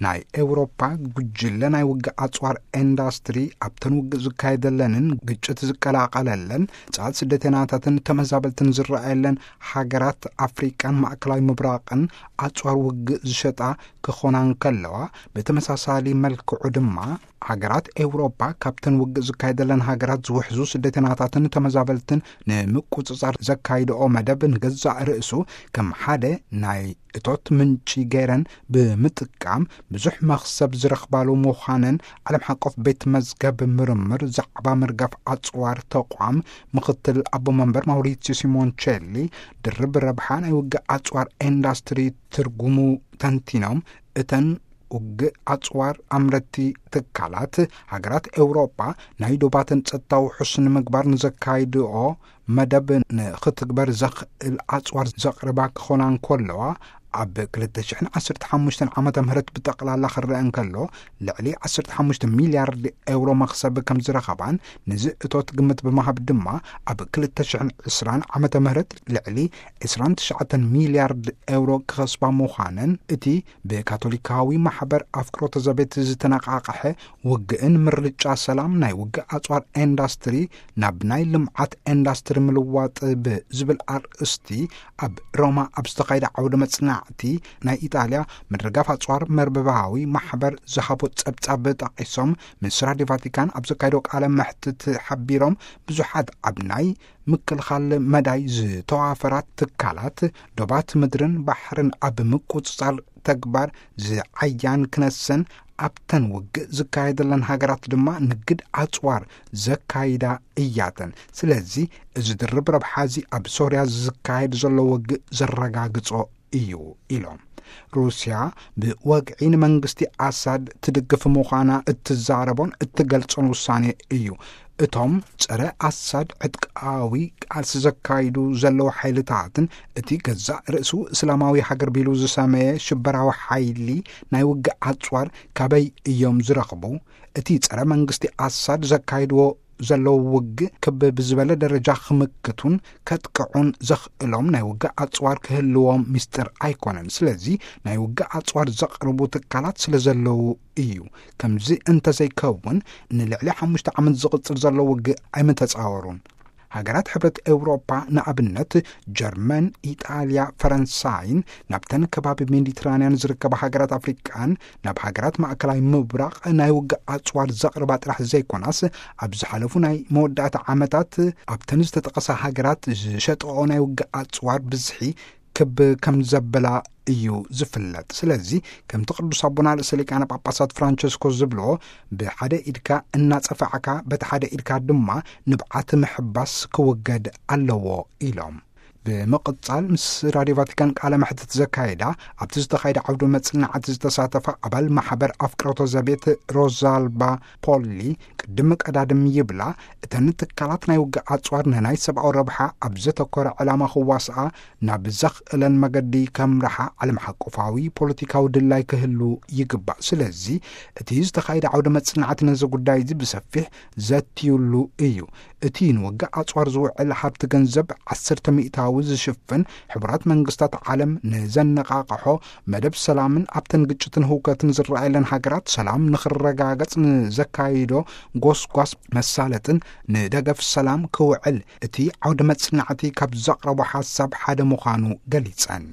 ናይ ኤውሮፓ ጉጅለ ናይ ውግእ ኣጽዋር ኢንዳስትሪ ኣብተን ውግእ ዝካየደለንን ግጭት ዝቀላቐለለን ጻት ስደተናታትን ተመዛበልትን ዝረኣየለን ሃገራት ኣፍሪቃን ማእከላዊ ምብራቕን ኣጽዋር ውግእ ዝሸጣ ክኾና እንከለዋ፣ ብተመሳሳሊ መልክዑ ድማ ሃገራት ኤውሮፓ ካብተን ውግእ ዝካየደለን ሃገራት ዝውሕዙ ስደተናታትን ተመዛበልትን ንምቁጽጻር ዘካይድኦ መደብ ንገዛእ ርእሱ ከም ሓደ ናይ እቶት ምንጪ ገይረን ብምጥቃም ብዙሕ መኽሰብ ዝረኽባሉ ምዃነን ዓለም ሓቆፍ ቤት መዝገብ ምርምር ዛዕባ ምርጋፍ ኣጽዋር ተቋም ምኽትል ኣቦ መንበር ማውሪሲዮ ሲሞንቸሊ ድርብ ረብሓ ናይ ውግእ ኣጽዋር ኢንዳስትሪ ትርጉሙ ተንቲኖም፣ እተን ውግእ ኣጽዋር ኣምረቲ ትካላት ሃገራት ኤውሮጳ ናይ ዶባተን ጸጥታዊ ውሑስ ንምግባር ንዘካይድኦ መደብ ንኽትግበር ዘኽእል ኣጽዋር ዘቕርባ ክኾና እንከለዋ፣ ኣብ ክልተ ሽሕን ዓሰርተ ሓሙሽተን ዓመተ ምህረት ብጠቕላላ ክረአ እንከሎ፣ ልዕሊ ዓሰርተ ሓሙሽተ ሚልያርድ ኤውሮ መኽሰብ ከም ዝረኸባን፣ ነዚ እቶት ግምት ብምሃብ ድማ ኣብ ክልተ ሽሕን ዕስራን ዓመተ ምህረት ልዕሊ ዕስራን ትሽዓተን ሚልያርድ ኤውሮ ክኸስባ ምዃነን እቲ ብካቶሊካዊ ማሕበር ኣፍቅሮተ ዘቤት ዝተነቓቕሐ ውግእን ምርጫ ሰላም ናይ ውግእ ኣጽዋር ኢንዳስትሪ ናብ ናይ ልምዓት ኢንዳስትሪ ምልዋጥ ብዝብል ኣርእስቲ ኣብ ሮማ ኣብ ዝተኻየደ ዓውደ መጽናዕቲ ናይ ኢጣልያ ምድርጋፍ ኣጽዋር መርበባዊ ማሕበር ዝሃቦ ጸብጻብ ጠቒሶም፣ ምስ ራድዮ ቫቲካን ኣብ ዘካየዶ ቃለ መሕትት ሓቢሮም፣ ብዙሓት ኣብ ናይ ምክልኻል መዳይ ዝተዋፈራት ትካላት ዶባት ምድርን ባሕርን ኣብ ምቁጽጻር ተግባር ዝዓያን ክነሰን ኣብተን ውግእ ዝካየደለን ሃገራት ድማ ንግድ ኣጽዋር ዘካይዳ እያተን። ስለዚ እዚ ድርብ ረብሓ እዚ ኣብ ሶርያ ዝካየድ ዘሎ ውግእ ዘረጋግጾ እዩ ኢሎም። ሩስያ ብወግዒ ንመንግስቲ ኣሳድ ትድግፍ ምዃና እትዛረቦን እትገልጾን ውሳኔ እዩ። እቶም ጸረ ኣሳድ ዕጥቃዊ ቃልሲ ዘካይዱ ዘለዉ ሓይልታትን እቲ ገዛእ ርእሱ እስላማዊ ሃገር ቢሉ ዝሰመየ ሽበራዊ ሓይሊ ናይ ውግእ ኣጽዋር ካበይ እዮም ዝረኽቡ? እቲ ጸረ መንግስቲ ኣሳድ ዘካይድዎ ዘለዉ ውግእ ክብ ብዝበለ ደረጃ ክምክቱን ከጥቅዑን ዘኽእሎም ናይ ውግእ ኣጽዋር ክህልዎም ሚስጥር ኣይኮነን። ስለዚ ናይ ውግእ ኣጽዋር ዘቕርቡ ትካላት ስለ ዘለዉ እዩ። ከምዚ እንተዘይከውን ንልዕሊ ሓሙሽተ ዓመት ዝቕጽል ዘሎ ውግእ ኣይምተጻወሩን። ሃገራት ሕብረት ኤውሮፓ ንኣብነት ጀርመን፣ ኢጣልያ፣ ፈረንሳይን ናብተን ከባቢ ሜዲትራንያን ዝርከባ ሃገራት ኣፍሪቃን ናብ ሃገራት ማእከላይ ምብራቕ ናይ ውግእ ኣጽዋር ዘቕርባ ጥራሕ ዘይኮናስ፣ ኣብ ዝሓለፉ ናይ መወዳእታ ዓመታት ኣብተን ዝተጠቐሳ ሃገራት ዝሸጠኦ ናይ ውግእ ኣጽዋር ብዝሒ ክብ ከም ዘበላ እዩ ዝፍለጥ። ስለዚ ከምቲ ቅዱስ ኣቦና ርእሰ ሊቃነ ጳጳሳት ፍራንቸስኮ ዝብልዎ፣ ብሓደ ኢድካ እናጸፋዕካ በቲ ሓደ ኢድካ ድማ ንብዓት ምሕባስ ክውገድ ኣለዎ ኢሎም። ብምቕጻል ምስ ራድዮ ቫቲካን ቃለ መሕትት ዘካየዳ፣ ኣብቲ ዝተኻየደ ዓውደ መጽናዕቲ ዝተሳተፋ ኣባል ማሕበር ኣፍቅሮተ ዘቤት ሮዛልባ ፖሊ ቅድሚ ቀዳድም ይብላ፣ እተን ትካላት ናይ ውግእ ኣጽዋር ንናይ ሰብኣዊ ረብሓ ኣብ ዘተኮረ ዕላማ ክዋስኣ ናብ ዘኽእለን መገዲ ከምርሓ ዓለም ሓቆፋዊ ፖለቲካዊ ድላይ ክህሉ ይግባእ። ስለዚ እቲ ዝተኻየደ ዓውደ መጽናዕቲ ነዚ ጉዳይ እዚ ብሰፊሕ ዘትዩሉ እዩ። እቲ ንውግእ ኣጽዋር ዝውዕል ሃብቲ ገንዘብ ዓሰርተ ሚእታዊ ዝሽፍን፣ ሕቡራት መንግስታት ዓለም ንዘነቓቕሖ መደብ ሰላምን ኣብተን ግጭትን ህውከትን ዝረኣየለን ሃገራት ሰላም ንኽረጋገጽ ንዘካይዶ ጎስጓስ መሳለጥን ንደገፍ ሰላም ክውዕል እቲ ዓውደ መጽናዕቲ ካብ ዘቕረቦ ሓሳብ ሓደ ምዃኑ ገሊጸን።